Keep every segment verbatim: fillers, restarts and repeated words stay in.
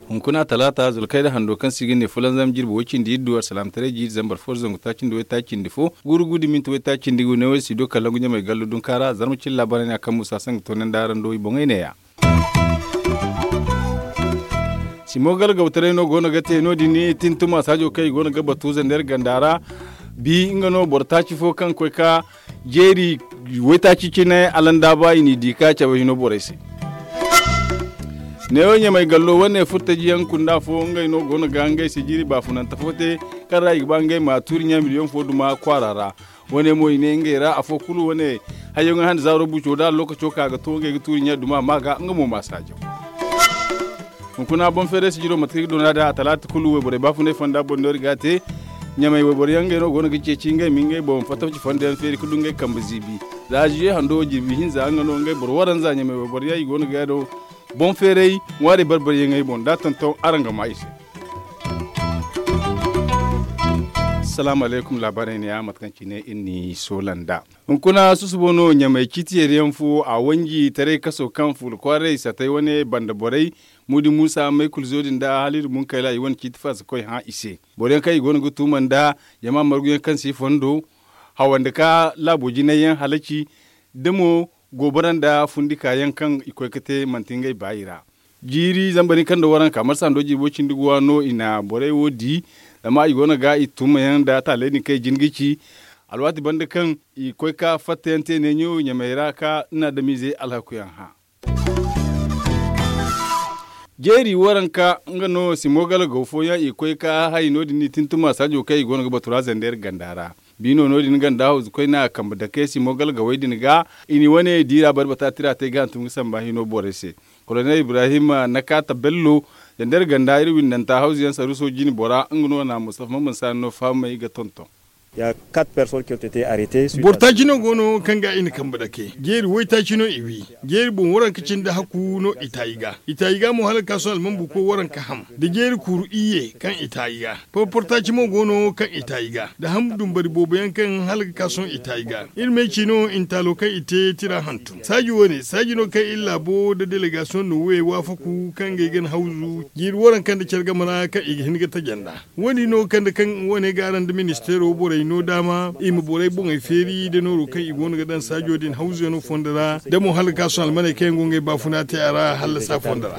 Hunkuna talaata zulkayda hando kaŋ se i ga ne fulanzam jirbi way cindi iddu alsalaamataray jiiri zambar fo da zangu taaci nda way taaci nda fo, guuru guudi minti way taaci nda gu ne way si do kala ngu ɲamay gallu dunkaara zarma cilla barayna kaŋ musa sanga toonandi araŋ do i boŋey neeya. Simo galgawtaray no go no ga te no- din tintuma saajo kaŋ i go no ga batu zander ganda ra. Bi nga no boro taaci fo kaŋ koy ka jeeri waytaaci cine alandaaba i n'i di ka cabe hino borey se. Neewo ɲamay gallo wane furtajiyaŋ kunda fo ngey no go no ga ngey se jiiri baafunante fo te, kaŋ ra i ga ba ngey ma tuuri ɲa miliyoŋ fo duma kwaara ra. Wane mo i ne ngey ra afo kulu wane hayyaŋo hande zaaro buco da lokaco ka ga to ngey ga tuuri ɲa duma ma ga nga mo ma saajaw. Hunkuna boŋ feeray sijiro mate kaŋ i ga doona da a talaata kulu wayborey baafunay fonda boŋ no iri ga a te. Ɲamay wayboro yaŋ ngey no go no ga ceeci ngey ma ngey boŋ fatafci fondo yaŋ feeri ga du ngey kambe ziibi. Za ziye hando jirbi hinza nga no ngey boro waranza ɲamay wayboro yaŋ i go no ga no. Boŋ feeray ŋwaari barbari yaŋey boŋ da tonton araŋ ga ma i se. Salaamu alaykum laabaarey ne ya mate kaŋ cine iri n'i soola nd'a. Hunkuna susubo no ɲamay ciiti yeeriyaŋ fo a wanji taray kaso kaŋ fuula kwaaray satay wane banda borey. Muudi muusa may kulu zo din da hala iri bunkayla i wane ciiti faasa koy hã i se. Boro yaŋ kaŋ i go no ga tuuma nda jama marguyaŋ kaŋ si fondo hawandi ka laabo jinay yaŋ halaci da mo goobara nda fundika yaŋ kaŋ i koy ga te manti ngey baayi ra. Jiiri zamba din kaŋ nda waranka marsa hando jirbo cindi guwa no i na borey wo di. Zama i go no ga i tuuma yaŋ nda taaley din kaŋ i jin ga ci alwaati banda kaŋ i koy ka fatta yaŋ te neeɲo ɲamay ra ka ni adamize alhakuyaŋ hã. Jeeri waranka nga no simo galgaw fooyaŋ i koy ka hay no- din i tintuma saajo kaŋ i go no ga batu ra zander ganda ra. Biino no- din ganda hawzu koy na kambe dake simo galgawey din ga i ni wane diira barbata tira te ga hantum ga samba hino borey se. Kolonel ibrahim na kaata bello zander ganda iri windanta hawzu yaŋ saruso jine bora nga no na mustafa mamman sani no fahamey ga tonton. Boro taaci no go no kaŋ ga i na kambe dake jeeri waytaaci no i wi. Jeeri boŋ waranka cindi hakku no i taayi ga i taayi ga mo hala ga ka sohõ almanbu koy waranka ham da jeeri kuuru iyye kaŋ i taayi ga. Porporo taaci mo go no kaŋ i taayi ga da ham dumbari boobo yaŋ kaŋ hala ga ka sohõ i taayi ga. Iri may ci no i na taalo kaŋ i te tira hantum saaji wane saaji no kaŋ iri laabo nda delegasiyoŋ no we waafaku kaŋ ga ay gana hawzu jiiri waranka nda care game ra kaŋ i ga hin ga taja nd'a. Wo- din no kande kaŋ wane ga araŋ nda ministeero borey no daama i ma borey boŋey feeri nda nooro kaŋ i go no ga daŋ saajo din hawzuyano fondo ra da mo hala ga ka sohõ almaney kaŋ yaŋ go ngey baafuna te a ra hallasa fondo ra.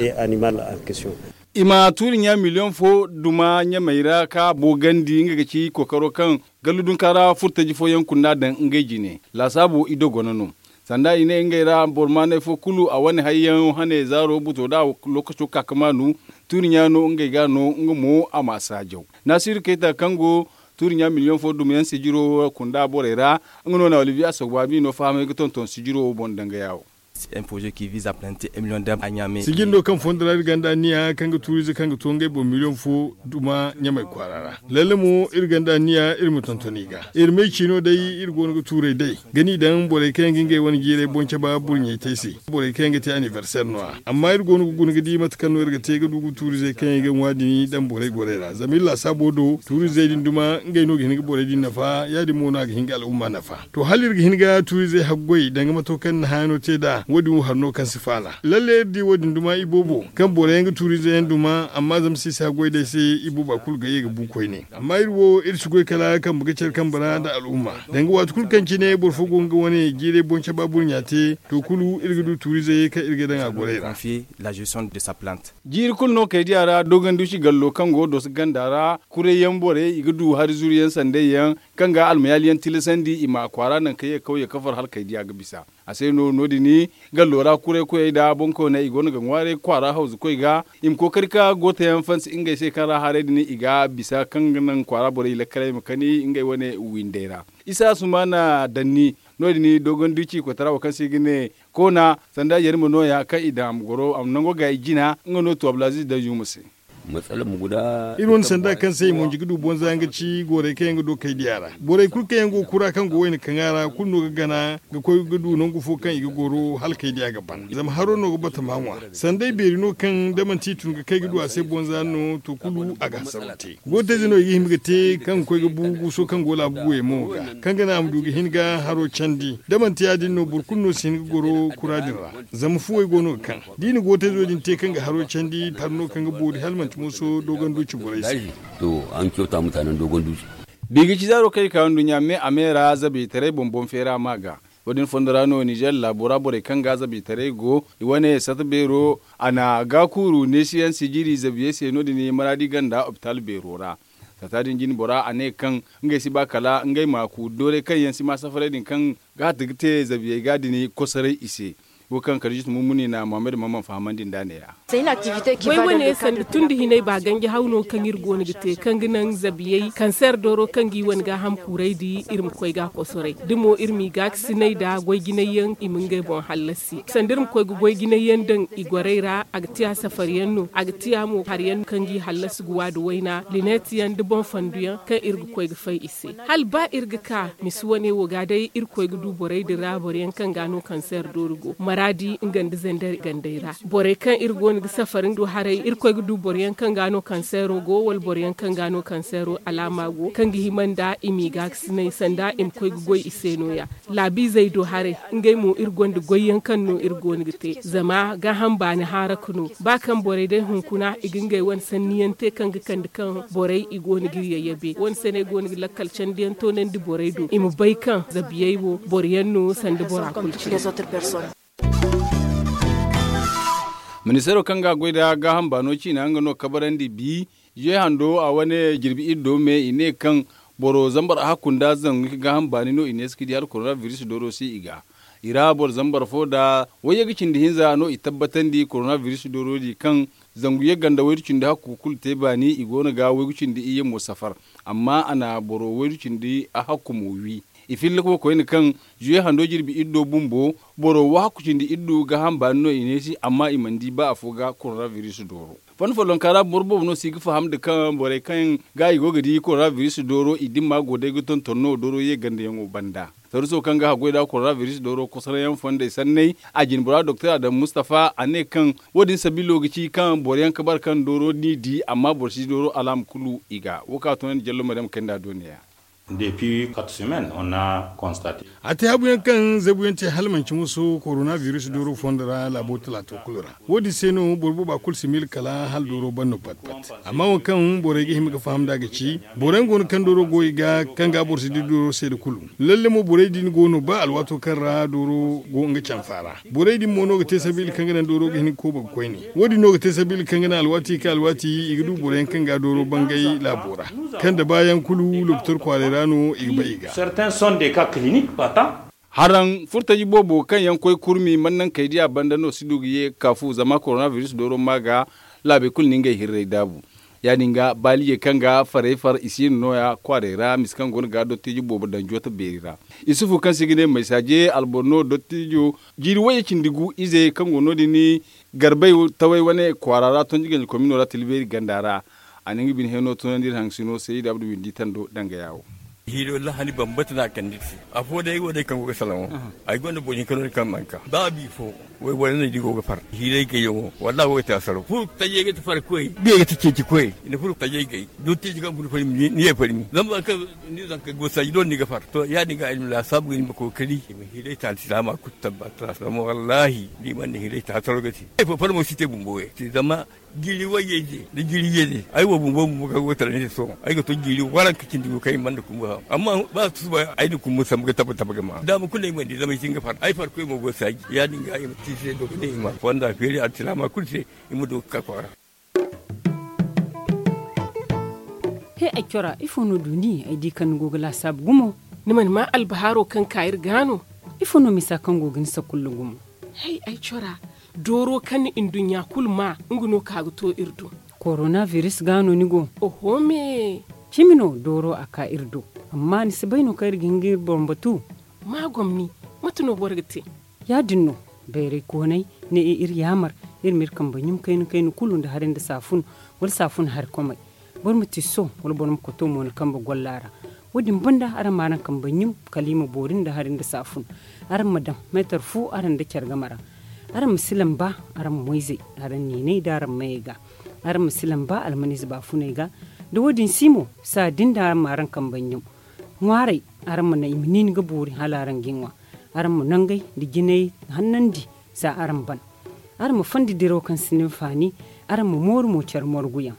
I ma tuuri ɲa miliyoŋ fo duma ɲamey ra ka boogandi nga ga ci kookaro kaŋ gallu dunka ra furtaji fooyaŋ kunda daŋ ngey jine laasaabo i dogono no. Sanda i ne ngey ra boro maanay fo kulu a wane hayyaŋo hane zaaro buto da lokaco ka ka maanu. Tuuri ɲa no ngey ga no nga mo a ma saajaw. Naasiru kayta kaŋ go tuuri ɲa miliyoŋ fo dumiyaŋ sijiro kunda borey ra. Nga no na olivier asogba bi no fahamay ga tonton sijiro wo boŋ danga yaawo. Sijin do kaŋ fondo ra iri gonda anniya kaŋ ga tuurize kaŋ ga to ngey boŋ miliyoŋ fo duma ɲamay kwaara ra. Lalle mo iri gonda anniya iri ma tonton i ga iri may ciino day iri go no ga tuurey day ga n'i daŋ borey kaŋ yaŋ ga ngey wane jiirey boŋ caba burɲey te ay se. Borey kaŋ yaŋ ga te anniversaire no- ya amma iri go no ga guna ga di mate kaŋ no iri ga te ga du ga tuurizey kaŋ yaŋ ga ŋwa din daŋ borey gorey ra zama iri laasaabo do tuurizey din duma ngey no ga hin ga borey din nafa ya- din mo no a ga hin ga al'umma nafa. To hala iri ga hin ga tuurizey haggoy danga mato kaŋ ni hããyaŋo te nd'a wo- din wo hari no kaŋ si faala lalle iri di wo- din duma iboobo kaŋ boro yaŋ ga tuurizey yaŋ duma amma zama se i si haggoy day se ibooba kulu ga ye ga bu koyne. Amma iri wo iri si goy kala kambe ga care kambe ra nda al'umma danga waati kulu kaŋ cine boro fo go nga wane jiirey boŋ caba burɲa te to kulu iri ga du tuurizey kaŋ iri ga daŋ a gorey ra. Jiiri kulu no kay diya ra dogonduci gallo kaŋ go doso ganda ra. Kurayyaŋ borey i ga du hari zuru yaŋ sanday yaŋ kaŋ ga almayaali yaŋ tilasandi i ma kwaara naŋ ka ye kawye kafar hala kay diya ga bisa. A se no no- din gallo ra kuray koyey nda boŋkoyney i go no ga ŋwaaray kwaara hawzu koy ga i ma kookari ka gooto yaŋ fansi ngey se kaŋ ra haray din i ga bisa kaŋ ga naŋ kwaara borey i lakkaley ma kani ngey wane windey ra. Isa sumana danni no- din dogonduci koytara wo kaŋ se i ga ne koona sanda yarima nooya kaŋ i daŋ a ma goro a ma nango ga i jina nga no to abdulaziz danzuma se. Iri wane sanda kaŋ se i monji ga du bonza nga ci goorey kaŋ yaŋ ga do kay diya ra. Borey kulu kaŋ yaŋ go kura kaŋ go wayna kaŋ a ra kulu no ga gana ga koy ga du nangu fo kaŋ i ga goro hala kay diya ga ban zama haro no ga bata ma ŋwa. Sanday beeri no kaŋ da manti i tun ga kay ga du a se bonza no to kulu a ga hasaro te. Gootayze no i ga hima ga te kaŋ ga koy ga bu guuso kaŋ go laabu buwey mo ga kaŋ ga naŋ a ma du ga hin ga haro candi da manti ya- din no boro kulu no si hin ga goro kura din ra. Zama fuwey go no ga kaŋ da i na gootayzo din te kaŋ ga haro candi har no kaŋ ga boori hala manti mooso dogon duci borey se. To an kyauta mutanen dogon duci. Biga ci zaaro kaŋ i ka nduɲɲa me a me ra zabiytaray boŋ boŋ feera ma ga. Wo- din fondo ra no ninzeer laabo ra borey kaŋ ga zabiytaray go i wane sata beero a na gaakuuru neesiyaŋ sijiri zabiyey se no- din maraadi ganda opitaal beero ra. Sata din jine bora a ne kaŋ ngey si ba kala ngey ma kuuri dooray kaŋ yaŋ si ma safaray din kaŋ ga hatti ga te zabiyey ga din kosoray i se. Wo kaŋ kala juste mummuni na muhammad maman fahamandi nd'a neeya. Goy wane sanda tun da hinay ba ganji haw no kaŋ iri go no ga te kaŋ ga naŋ zabiyey kanseer dooro kaŋ ga i wane gaaham kuuray di iri ma koy ga a kosoray da mo iri m'i gaakasinay nda goy jinay yaŋ i ma ngey boŋ hallasi sanda iri ma koy ga goy jinay yaŋ daŋ i gorey ra a ga tiya safar yaŋ no a ga tiya mo hari yaŋ kaŋ ga i hallasi ga waadu wayna lineet yaŋ da boŋ fandu yaŋ kaŋ iri ga koy ga fay i se. Hala ba iri ga ka misi wane wo ga day irkoy ga du borey din ra boro yaŋ kaŋ ga no kanseer doori go maraadi nga nda zandari gandey ra. Borey kaŋ iri go no ga safari nga du haray irkoy ga du boro yaŋ kaŋ ga no kanseero go wala boro yaŋ kaŋ ga no kanseero alaama go kaŋ ga hima nda i m'i gaakasinay sanda i ma koy ga goy i se no- ya. Laabiizey do haray ngey mo iri gonda goy yaŋ kaŋ no iri go no ga te zama gaaham baani haaraka no ba kaŋ borey day hunkuna i ga ngey wane sanni yaŋ te kaŋ ga kande kaŋ borey i go no ga iri yayyabe wane se no ay go no ga lakkal candi yaŋ toonandi borey do i ma bay kaŋ zabiyey wo boro yaŋ no sanda bora kulu cine. Ministeero kaŋ ga a goy nda gaaham baano ciina nga no kabarandi bi. Zuwe hando a wane jirbi iri do me i ne kaŋ boro zambar ahakku nda zangu hinka gaaham baani no i ne si ga di hala korona biris dooro se i ga i ra boro zambar fo nda wayye ga cindi hinza no i tabbatandi korona biris dooro di kaŋ zangu yagga nda waydu cindi hakku kulu te baani i go no ga waygu cindi iyye mo safar. Amma a na boro waydu cindi ahakku mo wi. I filla ka koyne kaŋ zuwe hando jirbi iddo bumbo boro wahakku cindi iddu gaaham baani no i ne se amma i mana di ba afo ga korona biris dooro. Fanda follonka ra boro boobo no si ga faham nda kaŋ borey kaŋ ga i go ga di korona biris dooro i dimma go day ga tonton no dooro ye gandayaŋo banda. Taruso kaŋ ga haggoy nda korona biris dooro kosoroyaŋ fondey sanney a jine bora doktor adamu mustafa a ne kaŋ wo- din sabilo ga ci kaŋ boro yaŋ ga bare kaŋ dooro n'i di amma boro si dooro alaama kulu i ga wo kaŋ a toonandi jallo maryam kayna do neeya. Depuis quatre semaines on a constaté. A te habu yaŋ kaŋ zabu yaŋ te hala manci musu korona biris dooro fondo ra laabo talaato kulu ra. Wo- din se no boro booba kulu si miila kala hala dooro ban no pat pat. Amma wo kaŋ borey ga hima ga faham nd'a ga ci boro yaŋ go no kaŋ dooro go i ga kaŋ ga boro si di dooro seeda kulu. Lalle mo borey din go no ba alwaato kaŋ ra dooro go nga canfa ra. Borey din mo no ga te sabiila kaŋ ga naŋ dooro ga hin ga kooba ga koyne. Wo- din no ga te sabiila kaŋ ga naŋ alwaati ga ka alwaati i ga du boro yaŋ kaŋ ga dooro bangay laabo ra. Kaŋ da baayaŋ kulu lopitor kwaaray ra no i ga bay i ga. Haraŋ furtaji boobo kaŋ yaŋ koy kurmi mana naŋ kay diya banda no si du ga ye ga ka fu zama korona biris dooro ma ga laabey kulu na ngey hirray daabu. Ya- din ga baalijey kaŋ ga farey far i si no nooya kwaaray ra misa kaŋ go no ga dottijo boobo daŋ joota beeri ra. Isufu kaŋ se i ga ne maysaaje alboro no dottijo jiiri wayye cindi gu ize kaŋ go no- din garbay taway wane kwaara ra tonji ganji komino ra tila beeri ganda ra. A na nga bine heno tunandi iri haŋ sino se i da abdu windi tando danga yaawo. Hiiro lahani bambata no a kande iri se. Afo day wo day kaŋ go ga salaŋo ay gonda boro hinka no- din kaŋ mana ka ba bifo. Wayborey no i di go ga far hiiray gayyaŋo wallahi wo ga te asaro furo tajey ga ti farkoy biya ga ti ceeci koy i na furo tajey gay dottijo kaŋ furo farmi ni ye farmi zama ba kaŋ ni zanka go saaji doole ni ga far to ya- din ga ay ma laasaabu ga ni ma kookari i ma hiiray taani silaama kulu tabbata zama wallahi da i mana hiiray taani asaro ga te ay fo farmo si te bumbo yaŋ te zama jiiri wayye ize nda jiiri iyye ize ay wo bumbo bumbo kaŋ go ga tara ni se sohõ ay ga to jiiri waranka cindi gu kaŋ i mana kumbu ham amma ba a tusu ba ay na kumbu sambu ga tabe tabe ga ma daama kulu no ay mana di zama ay si hin ga far ay farkoy mo go ga saaji ya- din ga i ma te i se do ga ne i ma fonda feeri alsilaama kulu se i ma du ga ka kwaara. He ay cora ifo no du ni ay di kaŋ ni go ga laasaabu gumo? Ni mana maa albahaaro kaŋ ka iri ga no? Ifo no misa kaŋ go ga ni sakulla gumo? Hay ay cora dooro kaŋ ni nduɲɲa kulu maa nga no ka ga to iri do. Korona biris ga no ni go? Oho me. Cimi no dooro a ka iri do. Amma ni si bay no kaŋ iri ga hin ga iri boŋ batu? Ma gomni. Mate no boro ga te? Ya- din no bayray koonay ne i iri yaamar Iri ma iri kambe ɲum kayna kayna kulu nda hari nda saafun, wala saafun hari komey. Boro ma tiso wala boro ma koto mo ni kambe golla ra. Wo- din banda araŋ ma araŋ kambe ɲum kala i ma boori nda hari nda saafun. Araŋ ma daŋ meetar fu araŋ nda care game ra. Araŋ ma si lamba araŋ moyzey, araŋ niiney nda araŋ mayey ga. Araŋ ma si lamba almaniize baafuney ga. Da wo- din si mo, saa din da araŋ ma araŋ kambe ɲum ŋwaaray. Araŋ ma naŋ i ma niini ga boori hala araŋ ga i ŋwa. Araŋ ma nangey nda jinay hannandi, za araŋ ban. Araŋ ma fondi diraw kaŋ si ni hinfaani. Araŋ ma mooru mo care morguyaŋ.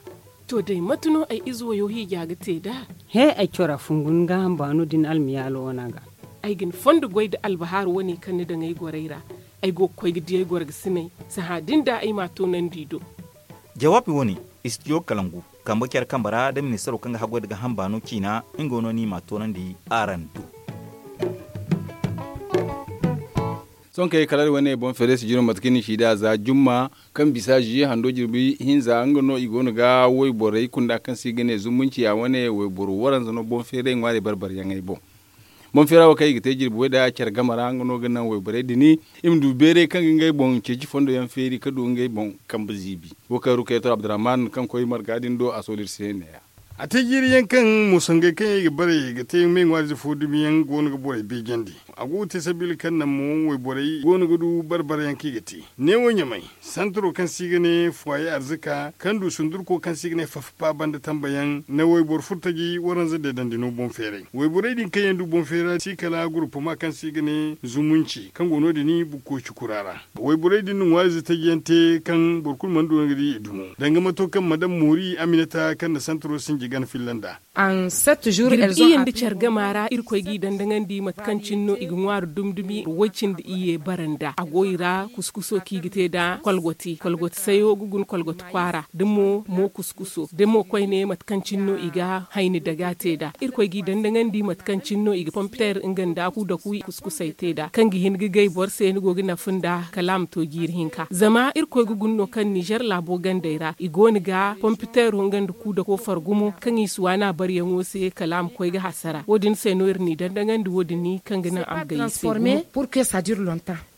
To day mate no ay ize wayo hiija ga te nd'a? He, ay cora fungu ni gaaham baano din almiyaalo wana ga. Ay ga ni fondo goy nda albahaaru wane kaŋ ni daŋ ay gorey ra. Ay go ga koy ga di ay gorgasiney. Sahã din da ay m'a toonandi i do. Jawaabi wane, istidiyo kalangu, kambe care kambe ra nda ministaro kaŋ ga haggoy nda gaaham baano ciina, nga no ni m'a toonandi araŋ do. Sohõ kay kala iri wane boŋ feeray sijiro mate kaŋ ni si da za jumma, kaŋ bisa ziye hando jirbi hinza nga no i go no ga wayborey kunda kaŋ se i ga ne zumunci a wane wayboro waranza no boŋ feeray ŋwaari barbaryaŋey boŋ. Boŋ feera wo kaŋ i ga te jirbi way da care game ra nga no ga naŋ wayborey din i ma du beeray kaŋ ga ngey boŋ ceeci fondo yaŋ feeri ga du ngey boŋ kambe ziibi. Wo kaŋ rukayatu abdurrahman kaŋ koy marga din do a sooli iri se ne ya. A te jiiri yaŋ kaŋ moosangey kaŋ yaŋ i ga bare ga te me ŋwaarize fo dumi yaŋ go no ga borey beejandi. A go ga te sabiila kaŋ naŋ mo wayborey go no ga du bare bare yaŋ kaŋ i ga te. Neewo ɲamay, santaro kaŋ se i ga ne fuwaye arzika kaŋ du sundurko kaŋ se i ga ne fafpa banda tambayaŋ na wayboro furtaji waranza deedandi no boŋ feeray. Wayborey din kaŋ yaŋ du boŋ feera si kala gurupuma kaŋ se i ga ne zumunci kaŋ go no- din bukkoy cukura ra. Wayborey din na ŋwaarize taji yaŋ te kaŋ boro kulu mana du nga di i dumo danga mato kaŋ madam moori aminata kaŋ na santaro sinji gana filla nd'a. Jirbi iyye nda care gama ra irkoy g'i dandaŋandi mate kaŋ cine no i ga ŋwaaru dumi dumi way cindi iyye bara nd'a a go i ra kuskuso kaŋ i ga te nd'a kolgoti kolgoti sayo ga guna kolgoti kwaara da mo mo kuskuso da mo koyne mate kaŋ cine no i ga hayni daga te nd'a. Irkoy g'i dandaŋandi mate kaŋ cine no i ga pompiter nga nda ku da ku kuskusey te nd'a kaŋ ga hin ga gay boro se ni go ga nafa nd'a kala a ma to jiiri hinka zama irkoy ga guna no kaŋ nizer laabo gandey ra i go no ga pompitero nga nda ku da ko fargu mo kaŋ i si waana baryaŋo se kala a ma koy ga hasara wo- din se no iri n'i dandaŋandi wo- din kaŋ ga naŋ a ma gay i se.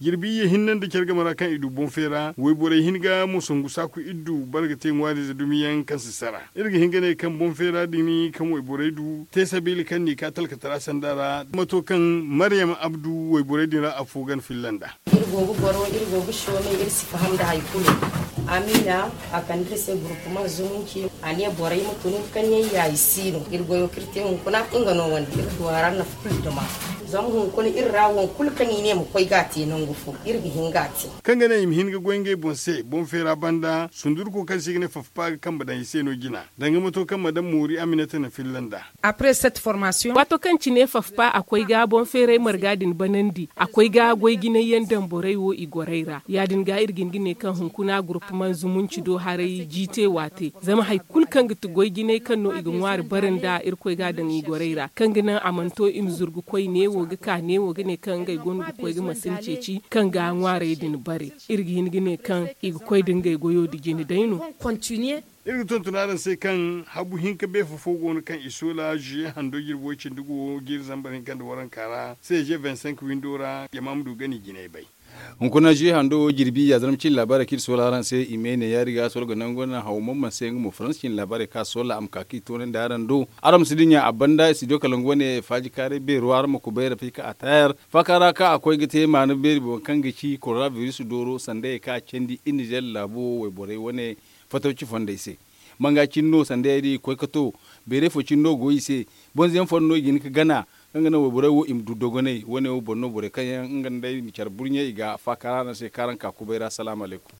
Jirbi iyye hinne nda care game ra kaŋ i du boŋ feera wayborey hin ga mosangu saaku iddu boro ga te ŋwaariize dumiyaŋ kaŋ si sara. Iri ga hin ga ne kaŋ boŋ feera din kaŋ wayborey du te sabiila kaŋ n'i ka talkatara sanda ra mato kaŋ maryam abdu wayborey din ra afo gana filla nd'a. Iri go ga goro iri go ga soomay iri si faham nda hari kulu. Amiina a kande iri se gurupuma zumunci a ne borey ma tun kaŋ yaŋ yayi si no iri goyo kaŋ iri te hunkuna nga no wane iri du a ra nafa kulu duma. Zama hunkuna iri ra waŋ kulu kaŋ i ne ma koy ga a te nangu fo iri ga hin ga a te. Kaŋ ga naŋ i ma hin ga goy ngey boŋ se boŋ feera banda sundurko kaŋ se i ga ne fafpa ga kambe daŋ i se no jina danga mato kaŋ madam moori aminata na filla nd'a. Waato kaŋ cine fafpa a koy ga boŋ feeray marga din banandi a koy ga goy jinay yaŋ daŋ borey wo i gorey ra ya- din ga iri ga hin ga ne kaŋ hunkuna gurupuma zumunci do haray jiite waate zama hari kulu kaŋ ga ti goy jinay kaŋ no i ga ŋwaari bare nd'a irkoy ga a daŋ i gorey ra kaŋ ga naŋ a mana to i ma zuru ga koy neewo ga ka neewo ga ne kaŋ ngey go no ga koy ga masin ceeci kaŋ ga ŋwaarey din bare. Iri ga hin ga ne kaŋ i ga koy da ngey goyo nda jine day no. Iri ga tonton araŋ se kaŋ habu hinka beefo fo go no kaŋ i soola ziye hando jirbi way cindi go jiiri zambar hinka nda waranka ra cg vingt cinq windo ra jama ma du ga ni jinay bay. Hunkuna ziye hando wo jirbi ya zarma cine laabaarey kaŋ iri soola araŋ se i me ne yaari ga soro ga nangu naŋ haw mamman se nga mo faransa cine laabaarey kaŋ a soola a ma ka kaŋ i toonandi araŋ do. Araŋ ma si dinya a banda studio kalangu wane faaji kaaray beero araŋ ma kubay rafika a tayar faaka ra kaŋ a koy ga te maana beeri boŋ kaŋ ga ci korona biris dooro sandayey kaŋ a candi iri nizer laabo wayborey wane fatawci fondey se. Manga cine no sandayey din i ga koy ga to beeray fo cine no go i se. Bonze yaŋ fooyaŋ no i ga hin ga gana kaŋ ga naŋ wayborey wo i ma du dogonay wane wo boŋ no borey kaŋ yaŋ nga nda i ma care burɲe i ga faaka ra araŋ se kaŋ araŋ ka kubay ra salaamu alaykum.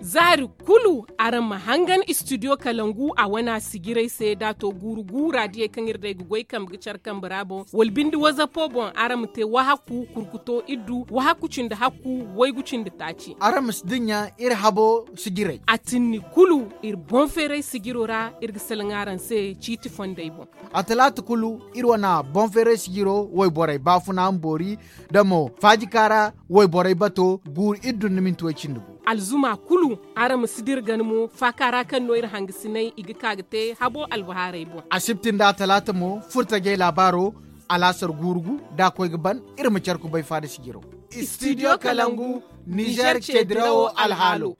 Zaari kulu araŋ ma hangan studio kalangu a wana sijirey se da to guuru guura diyey kaŋ iri day ga goy kambe ga care kambe ra boŋ wala binde wazapo boŋ araŋ ma te wahakku kurkuto iddu wahakku cindi hakku waygu cindi taaci. Araŋ ma si dinya iri habo sijirey. A tinni kulu iri boŋ feeray sijiro ra iri ga salaŋ araŋ se ciiti fondey boŋ. A talaata kulu iri wana boŋ feeray sijiro wayborey baafuna ma boori da mo faajikaara wayborey bato guuru iddu nda minti way cindi gu. Alzuma kulu araŋ ma si dira gana mo faaka ra kaŋ no iri hangasiney i ga ka ga te habo albahaarey boŋ. Asibti nda atalaata mo furtajey laabaaro alaasar guuru gu da a koy ga ban iri ma care kubay faada sijiro. Studio Kalangu, Niger ce dirawo alhaalo.